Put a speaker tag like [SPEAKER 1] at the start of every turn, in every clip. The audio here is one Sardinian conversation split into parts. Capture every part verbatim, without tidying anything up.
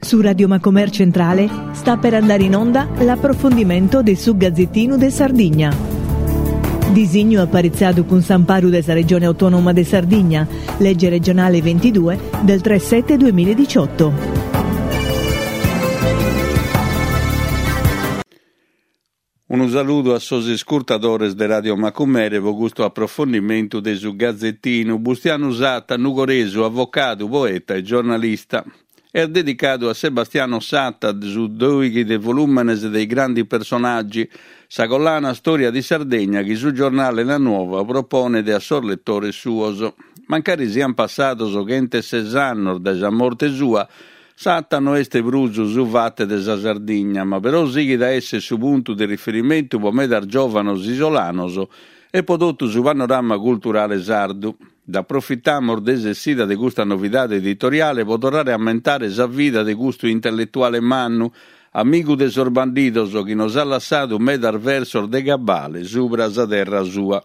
[SPEAKER 1] Su Radio Macomer Centrale sta per andare in onda l'approfondimento de su Gazzettinu de Sardigna. Disignu aparitzadu cun s'amparu de sa Regione Autonoma de Sardigna, legge regionale ventidue del tre sette duemiladiciotto.
[SPEAKER 2] Unu saludu a sos iscurtadores de Radio Macumere pro custu aprofondimentu de su Gazzettinu. Bustianu Satta, nugoresu, avocadu, poeta e giornalista. Est dedicadu a Sebastiano Satta su doighi de volùmenes dei grandi personaggi, sa collana Storia di Sardegna chi su giornale La Nuova proponet a sos letores suos. Mancari siant passados chent'e ses annos dae sa morte sua, Satta no est prus su vate de sa Sardigna, ma però sighit a èssere su puntu de riferimentu pro medas giòvanos isolanos e pro totu su panorama culturale sardu. Nd'aprofitamos de s'essida de custa novidade editoriale pro torrare a ammentare sa vida de custu intelletuale mannu, amigu de sos bandidos, chi nos at lassadu medas versos de gabbale subra sa terra sua.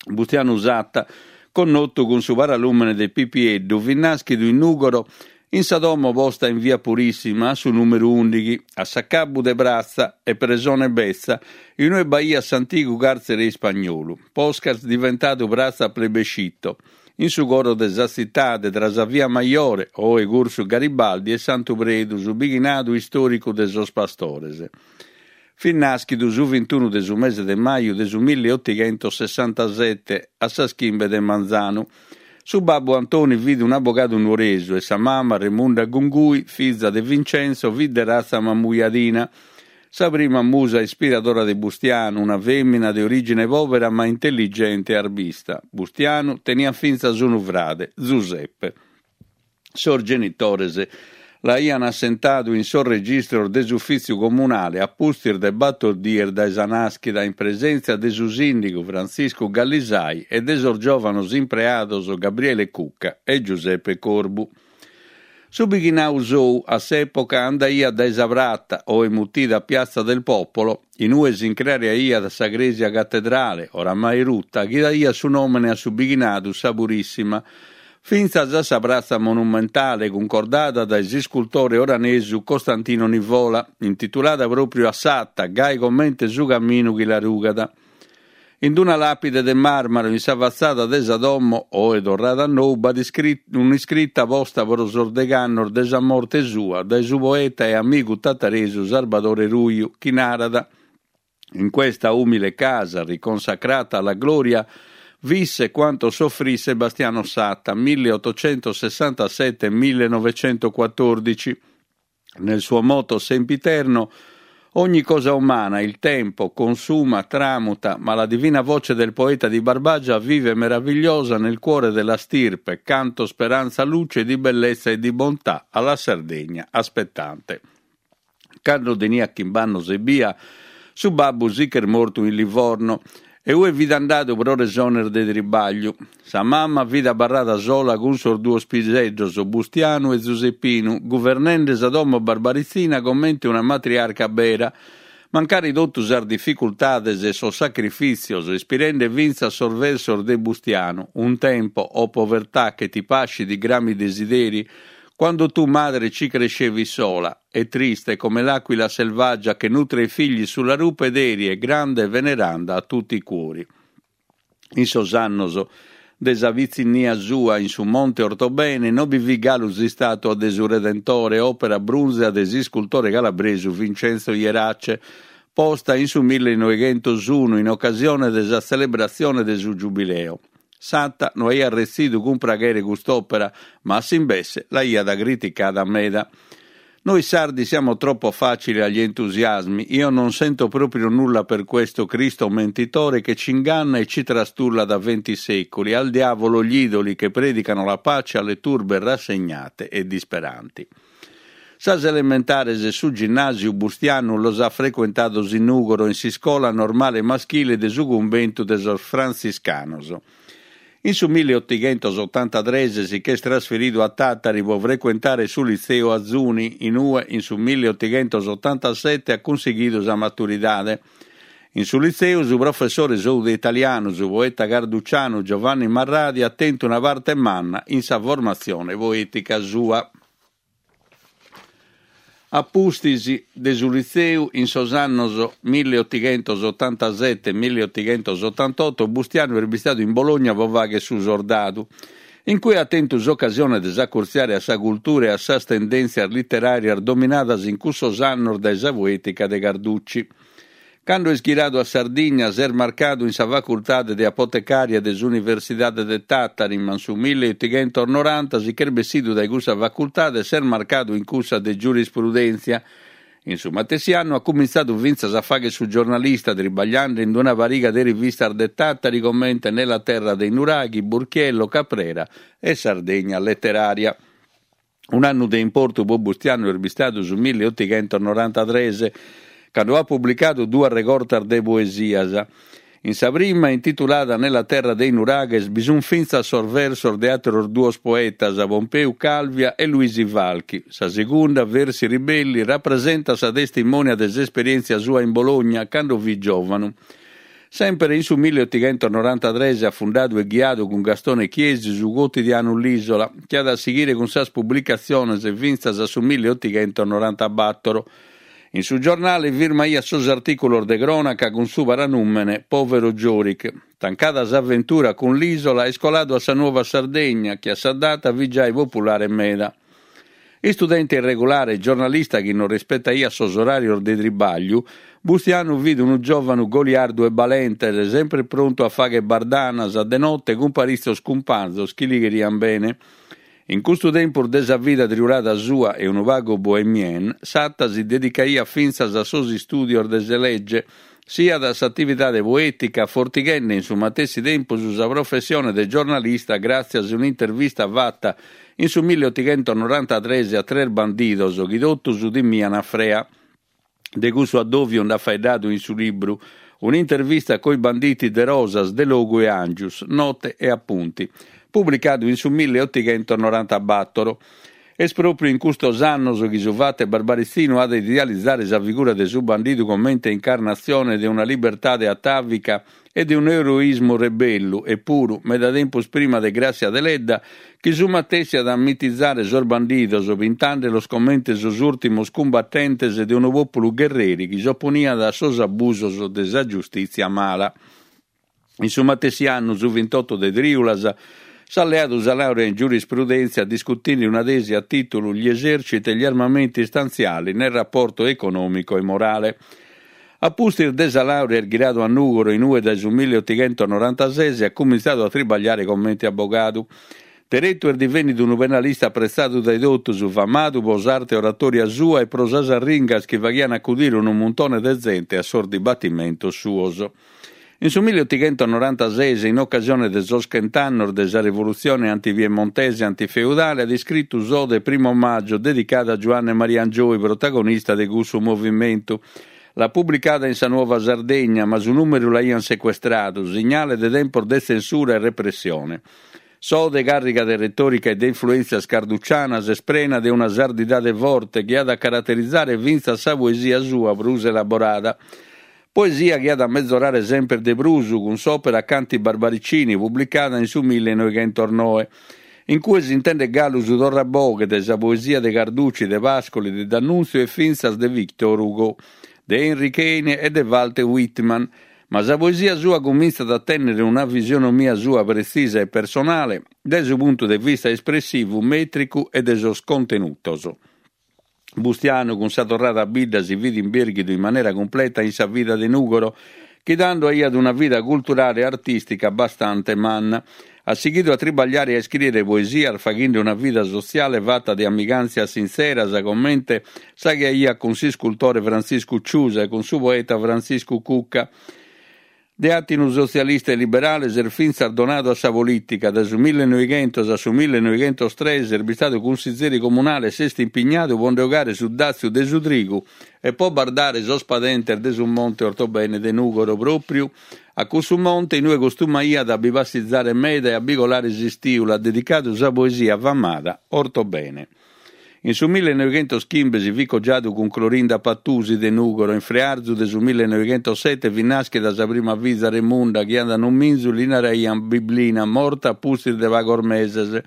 [SPEAKER 2] Bustianu Satta, connotu cun su paralùmene de Pipieddu, fit nàschidu in Nùgoro in sa domo posta in via Purissima, a su nùmeru ùndighi, a s'acabu de pratza e presone betza, in ue b'aiat s'antigu càrtzere ispagnolu, posca est diventadu pratza Plebescito, in su coro de sa tzitade, tra sa via Majore, oe Cursu Garibaldi, e Santu Predu, su bighinadu istòricu de sos pastores. Fit nàschidu su vintunu de su mese de maju de su milliotighentos sessantasete, a sas chimbe de manzanu. Su babbu Antoni fit un'abogadu nuoresu e sa mama Remunda Gungui, fiza de Vincenzo, fit de ratza mamujadina. Sa prima musa ispiradora de Bustianu, una fèmina de orìgine pòbera ma intelligente e arbista. Bustianu teniat fintzas unu frade, Zuseppe. Sos genitores l'aian assentadu in sos registros de s'ufìtziu comunale a pustis de bator dies dae sa nàschida in presèntzia de su sìndigu Frantziscu Gallisai e de sos giòvanos impreados Gabriele Cucca e Giuseppe Corbu. Su bighinadu sou a s'època andaiat dae sa Prata, oe mutida Piazza del Popolo, in ue s'incrariaiat sa crèsia catedrale, oramai ruta, chi daiat su nòmene a su bighinadu Sa Purissima, fintzas a sa pratza monumentale cuncordada dae s'iscultore oranesu Costantino Nivola, intitulada pròpriu a Satta, gai comente su caminu chi la rugat. In una làpide de màrmaru in sa fatzada de sa domo, oe torrada a nou, b'at un'iscrita posta pro sos deg'annos de sa morte sua dae su poeta e amigu tataresu Sarbadore Ruiu, chi narat: In questa umile casa, riconsacrata alla gloria, visse quanto soffrì Sebastiano Satta, milleottocentosessantasette millenovecentoquattordici. Nel suo moto sempiterno, ogni cosa umana, il tempo, consuma, tramuta, ma la divina voce del poeta di Barbagia vive meravigliosa nel cuore della stirpe, canto, speranza, luce di bellezza e di bontà alla Sardegna aspettante. Cando teniat chimb'annos ebbia, su babbu si ch'est mortu in Livorno, e ue fit andadu pro resones de tribagliu. Sa mama fit abarrada sola cun sos duos piseddos, Bustianu e Zuseppinu, guvernende sa domo barbaritzina comente una matriarca bera, mancari totu sas dificultades e sos sacrifìtzios, ispirende fintzas sos versos de Bustianu, Un tempo, o povertà, che ti pasci di grami desideri, quando tu, madre, ci crescevi sola, e triste come l'aquila selvaggia che nutre i figli sulla rupe ed eri e grande e veneranda a tutti i cuori. In sos annos de sa pitzinnia sua in su Monte Ortobene no bi fit galu s'istàtua de su Redentore, òpera brunzea de s'iscultore calabresu Vincenzo Ierace, posta in su millenoighentos unu in ocasione de sa tzelebratzione de su Giubileo. Satta no aiat retzidu cun praghere cust'òpera, ma a s'imbesse l'aiat criticada meda. Noi sardi siamo troppo facili agli entusiasmi, io non sento proprio nulla per questo Cristo mentitore che ci inganna e ci trastulla da venti secoli, al diavolo gli idoli che predicano la pace alle turbe rassegnate e disperanti. Sas elementares e su ginnàsiu Bustianu los at frecuentados in Nùgoro in s'iscola normale maschile de su cumbentu de sos Frantziscanos. In su milliotighentos otantatrès si ch'est trasferidu a Tàtari pro frecuentare su Litzeu Azuni, in ue in su milliotighentos otantasete at cunsighidu sa maturidade. In su litzeu su professore sou de italianu, su poeta carduccianu Giovanni Marradi, at tentu una parte manna in sa formatzione poètica sua. A pustis de su litzeu, in sos annos milleotighentosotantasete milleotighentosotantotto, Bustianu est bistadu in Bologna pro fàghere su sordadu, in cue at tentu s'ocasione de s'acurtziare a sa cultura e a sas tendèntzias literàrias dominadas in cussos annos dae sa poètica de Carducci. Cando est ghiradu a Sardigna s'est marcadu in sa facultade de apotecaria de s'Universidade de Tàtari, ma in su milleotighentosnoranta si ch'est bessidu dae cussa facultade e s'est marcadu in cussa de giurisprudèntzia. In su matessi annu at cumintzadu fintzas a fàghere su giornalista, tribagliende in una pariga de rivistas de Tàtari comente Nella Terra dei Nuraghi, Burchiello, Caprera e Sardegna Letteraria. Un'annu de importu pro Bustianu est bistadu su milleotighentosnorantatres, cando at publicadu duas regortas de poesias. In sa prima, intitulada Nella Terra dei Nuraghes, bi sunt fintzas sos versos de àteros duos poetas, Pompeu Calvia e Luisi Falchi. Sa segunda, Versi ribelli, rapresentat sa testimonia de s'esperièntzia sua in Bologna, cando fit giòvanu. Semper in su milleotighentosnorantatres at fundadu e ghiadu cun Gastone Chiesi su quotidianu L'Isola, chi at a sighire cun sas publicatziones fintzas a su milleotighentosnorantabator. In su giornale firmaiat sos artìculos de crònaca cun su paranùmene Povero Jorik. Tancada s'aventura cun L'Isola, est coladu a sa Nuova Sardegna, chi a sa data fit giai populare meda. Istudente irregulare e giornalista chi non rispetaiat sos oràrios de tribàgliu, Bustianu fit unu giòvanu goliardu e balente, sempre prontu a fàghere bardanas de note cun paritzos cumpanzos chi li cherian bene. In custu tempus de sa vida triulada sua e unu pagu bohemien, Satta si dedicaiat fintzas a sos istùdios de sa lege, siat a s'atividade poètica, afortighende in su matessi tempus sa professione de giornalista gràtzias a un'intervista fata in su milleotighentosnorantatres a tres bandidos chi totus timian a frea. De cussu addòviu nd'at faeddadu in su libru Un'intervista coi banditi de Rosas, Delogu e Angius, Note e appunti, publicadu in su milleotighentosnorantabator. Est pròpiu in custos annos chi su vate barbaritzinu at a idealizare sa figura de su bandidu comente incarnatzione de una libertade atàvica e de un'eroismu rebellu, e puru, meda tempus prima de Gràssia Deledda, chi su matessi at a mitizare sos bandidos, pintandelos comente sos ùrtimos cumbatentes de unu pòpulu gherreri chi s'oponiat a sos abusos de sa giustìtzia mala. In su matessi annu, su vintotto de trìulas, s'at leadu sa làurea in giurisprudèntzia discutende una tesi a tìtulu Gli eserciti e gli armamenti stanziali nel rapporto economico e morale. A pustis de sa làurea est ghiradu a Nùgoro, in ue dae su milleotighentosnorantases at cumintzadu a tribagliare comente abogadu. Deretu est divènnidu unu penalista apretzadu dae totus, famadu pro s'arte oratòria sua e pro sas arringas chi faghian acudire unu muntone de zente a sos dibatimentos suos. In su milleotighentosnorantases, in ocasione de sos chent'annos de sa rivolutzione antipiemontese antifeudale, at iscritu s'Ode Primo Maggio, dedicada a Giuanne Maria Angioy, protagonista de cussu movimentu. L'at publicada in sa Nuova Sardegna, ma su nùmeru l'aiant secuestradu, signale de tempos de tzensura e repressione. S'Ode, càrriga de retòrica e de influèntzias carduccianas, est prena de una sardidade forte chi at a caraterizare fintzas sa poesia sua prus elaborada. Poesia chi at a mezorare semper de prus cun s'òpera Canti Barbaricini, publicada in su millenoighentosnoe, in cue s'intendet galu su torraboghe de sa poesia de Carducci, de Pascoli, de D'Annunzio e fintzas de Victor Hugo, de Heinrich Heine e de Walt Whitman, ma sa poesia sua cumintzat a tènnere una fisionomia sua pretzisa e personale dae su puntu de vista espressivu, mètricu e de sos contenutos. Bustianu, cun sa torrada a bidda, si fit imbèrghidu in manera cumpleta in sa vida de Nùgoro, chi tando aiat una vida culturale e artìstica bastante manna. At sighidu a tribagliare e a iscrìere poesias faghende una vida sotziale fata de amigàntzias sintzeras comente sa chi aiat cun s'iscultore Frantziscu Ciusa e cun su poeta Frantziscu Cucca. De atinu sotzialista e liberale s'est fintzas donadu a sa polìtica. Dae su millenoighentos a su millenoighentos tres est bistadu cunsizeri comunale e s'est impignadu pro nde 'ogare su dàtziu de su trigu e pro bardare sos padentes de su Monte Ortobene de Nùgoro, pròpriu a cussu monte in ue costumaiat a bi passizare meda e a bi colare s'istiu, l'at dedicadu sa poesia famada Ortobene. In su millenoighentoschimbe si fit cogiadu cun Clorinda Pattusi de Nùgoro. In frearzu de su millenoighentossete fit nàschida sa prima fiza Remunda, chi a nominzu li naraiant Biblina, morta a pustis de pagos meses.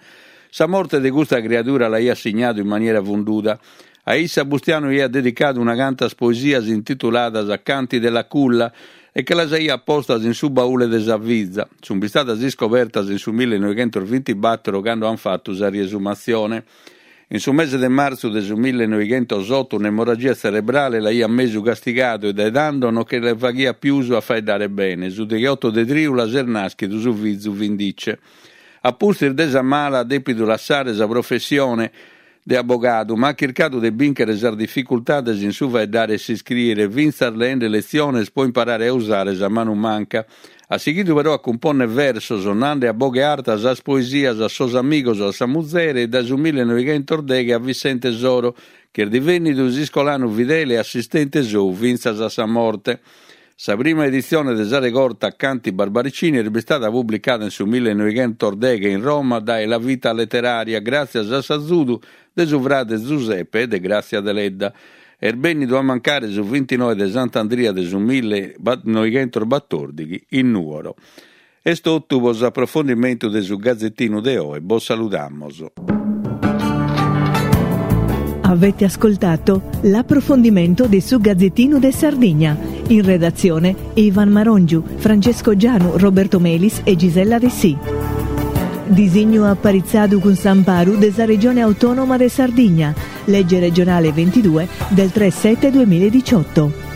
[SPEAKER 2] Sa morte de custa criadura l'aiat signadu in maniera funduda. A issa Bustianu aiat dedicadu una cantas poesias intituladas Canti della culla e che las aiat postas in su baule de sa fiza. Sunt bistadas iscobertas in su millenoighentos bintibator cando ant fatu sa riesumatzione. In su mese de martzu de su millenoighentos oto un'emorragia tzerebrale l'aiat mesu castigadu e dae tando non che le faghiat pius a faeddare bene. Su degheoto de trìulas est nàschidu su fizu Vindice. A pustis de sa mala at dèpidu lassare sa professione de abogadu, ma at chircadu de bìnchere sas dificultades in su faeddare e s'iscrìere, fintzas leende letziones pro imparare a usare sa manu manca. At sighidu però a cumpònnere versos, nande a boghe arta sas poesias a sos amigos, a sa muzere e dae su millenoighentos deghe a Vissente Soro, chi est divènnidu s'iscolanu fidele e assistente sou fintzas a sa morte. Sa prima editzione de sa regorta Canti Barbaricini est bistada publicada in su millenoighentos deghe in Roma dae La Vita Letteraria, gràtzias a s'azudu de su frade Zuseppe e de Grazia Deledda. Est bènnidu a mancare su vintinoe de Sant'Andria de su millenoighentos batòrdighi in Nuoro. Est totu pro s'aprofondimentu de su Gazetinu de oe. Bos saludamos.
[SPEAKER 1] Avete ascoltato l'approfondimento di su Gazzettino de Sardigna. In redazione Ivan Marongiu, Francesco Gianu, Roberto Melis e Gisella Dessì. Disignu aparitzadu cun s'amparu de sa Regione Autonoma de Sardigna. Legge regionale ventidue del tre sette duemiladiciotto.